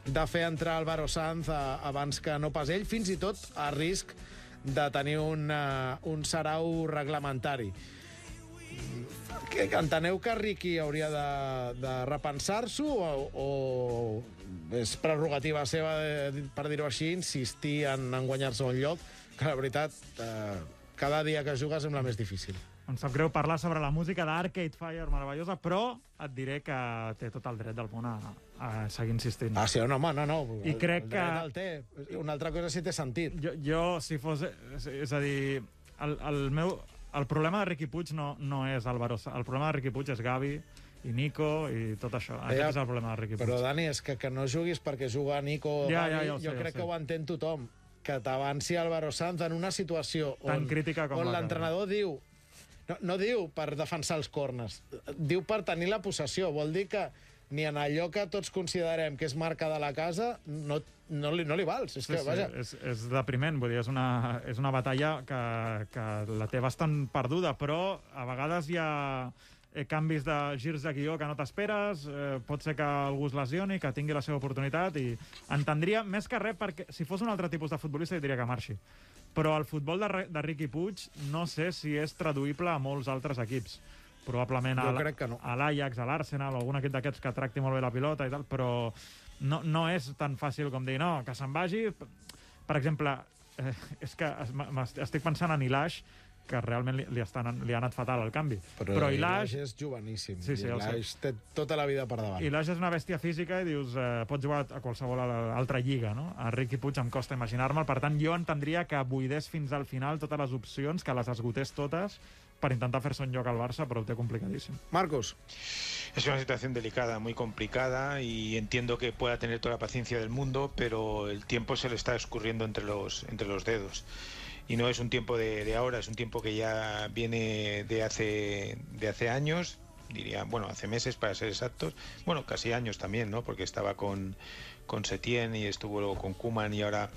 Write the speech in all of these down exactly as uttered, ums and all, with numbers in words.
de fer entrar Álvaro Sanz a, abans que no pas ell, fins i tot a risc de tenir un, uh, un sarau reglamentari. Que, enteneu que Riqui hauria de, de repensar-s'ho o, o és prerrogativa seva, de, per dir-ho així, insistir en, en guanyar-se un lloc, que la veritat, eh, cada dia que juga sembla més difícil. Em sap greu parlar sobre la música d'Arcade Fire meravellosa, però et diré que té tot el dret del món a, a seguir insistint. Ah, sí, no, home, no, no. I crec el que... El té. Una altra cosa si té sentit. Jo, jo si fos... És a dir, el, el meu... El problema de Riqui Puig no, no és Álvaro Sanz. El problema de Riqui Puig és Gavi i Nico i tot això. Aquest ja, és el problema de Riqui Puig. Però, Dani, és que, que no juguis perquè juga Nico o ja, Gavi, ja, ja jo sé, crec ja que ho entén tothom. Que t'avanci Álvaro Sanz en una situació tan on, crítica com on la l'entrenador diu... No, no diu per defensar els corners, diu per tenir la possessió. Vol dir que ni en allò que tots considerem que és marca de la casa no, no, li, no li vals. És, sí, que, sí, vaja... és, és depriment, vull dir, és una, és una batalla que, que la té bastant perduda, però a vegades hi ha eh, canvis de girs de guió que no t'esperes, eh, pot ser que algú es lesioni, que tingui la seva oportunitat, i entendria més que res, perquè si fos un altre tipus de futbolista diria que marxi. Però el futbol de, de Riqui Puig no sé si és traduïble a molts altres equips. Probablement a, no. a l'Ajax, a l'Arsenal, o algun equip d'aquests que tracti molt bé la pilota i tal, però no, no és tan fàcil com dir, no, que se'n vagi. Per exemple, eh, és que estic pensant en Ilaix, que realment li, li, estan, li ha anat fatal el canvi. Però, però Ilaix és joveníssim. Sí, sí, Ilaix té tota la vida per davant. Ilaix és una bèstia física i dius, eh, pots jugar a qualsevol altra lliga, no? A Riqui Puig em costa imaginar-me'l, per tant jo entendria que buidés fins al final totes les opcions, que les esgotés totes per intentar fer-se un lloc al Barça, però ho té complicadíssim. Marcos. Es una situación delicada, muy complicada, y entiendo que pueda tener toda la paciencia del mundo, pero el tiempo se le está escurriendo entre los, entre los dedos. Y no es un tiempo de, de ahora, es un tiempo que ya viene de hace, de hace años, diría, bueno, hace meses para ser exactos, bueno, casi años también, ¿no? Porque estaba con, con Setién y estuvo luego con Koeman y ahora,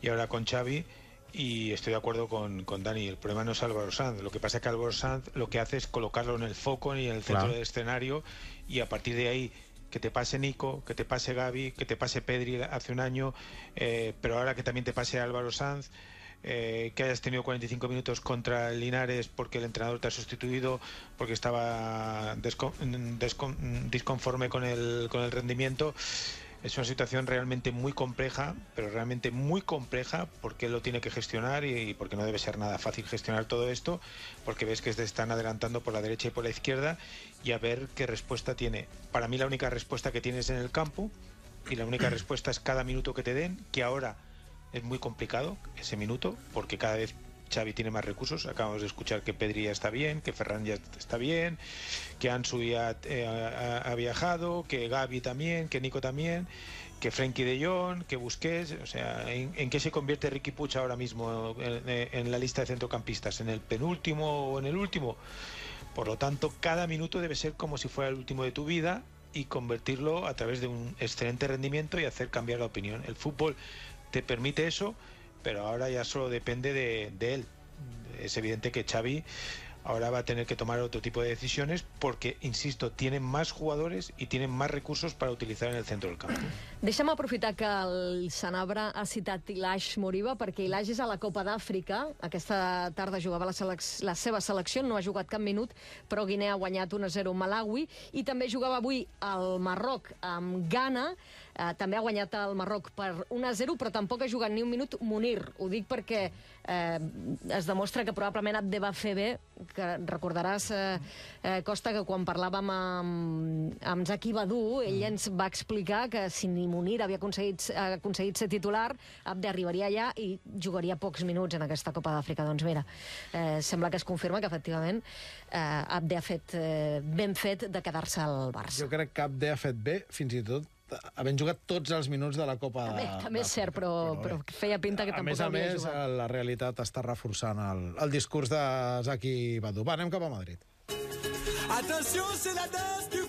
y ahora con Xavi. Y estoy de acuerdo con, con Dani, el problema no es Álvaro Sanz, lo que pasa es que Álvaro Sanz lo que hace es colocarlo en el foco y en el centro claro. del escenario, y a partir de ahí que te pase Nico, que te pase Gavi, que te pase Pedri hace un año, eh, pero ahora que también te pase Álvaro Sanz, eh, que hayas tenido cuarenta y cinco minutos contra Linares porque el entrenador te ha sustituido, porque estaba descon, descon, disconforme con el, con el rendimiento. Es una situación realmente muy compleja, pero realmente muy compleja, porque él lo tiene que gestionar y porque no debe ser nada fácil gestionar todo esto, porque ves que se están adelantando por la derecha y por la izquierda, y a ver qué respuesta tiene. Para mí la única respuesta que tienes en el campo, y la única respuesta es cada minuto que te den, que ahora es muy complicado ese minuto, porque cada vez Xavi tiene más recursos. Acabamos de escuchar que Pedri ya está bien, que Ferran ya está bien, que Ansu ya eh, ha, ha viajado, que Gavi también, que Nico también, que Frenkie de Jong, que Busquets. O sea, ¿en, en qué se convierte Riqui Puig ahora mismo en, en la lista de centrocampistas? ¿En el penúltimo o en el último? Por lo tanto, cada minuto debe ser como si fuera el último de tu vida, y convertirlo a través de un excelente rendimiento y hacer cambiar la opinión. El fútbol te permite eso, pero ahora ya solo depende de, de él. Es evidente que Xavi ahora va a tener que tomar otro tipo de decisiones porque, insisto, tienen más jugadores y tienen más recursos para utilizar en el centro del campo. Deixa'm aprofitar que el Sanabra ha citat Ilaix Moriba, perquè Ilaix és a la Copa d'Àfrica. Aquesta tarda jugava la, la seva selecció, no ha jugat cap minut, però Guinea ha guanyat un a zero Malawi, i també jugava avui al Marroc amb Ghana. Eh, també ha guanyat el Marroc per un a zero, però tampoc ha jugat ni un minut Munir. Ho dic perquè eh, es demostra que probablement et va fer bé, que recordaràs, eh, eh, Costa, que quan parlàvem amb, amb Zaki Badu, ell ens va explicar que si ni Munir havia aconseguit, aconseguit ser titular, Abde arribaria allà i jugaria pocs minuts en aquesta Copa d'Àfrica. Doncs mira, eh, sembla que es confirma que efectivament eh, Abde ha fet eh, ben fet de quedar-se al Barça. Jo crec que Abde ha fet bé, fins i tot havent jugat tots els minuts de la Copa També, també és cert, però, però, però feia pinta que a tampoc més a havia més, jugat. la realitat està reforçant el, el discurs de Zaki Badu. Va, anem cap a Madrid. Attention, c'est la danse du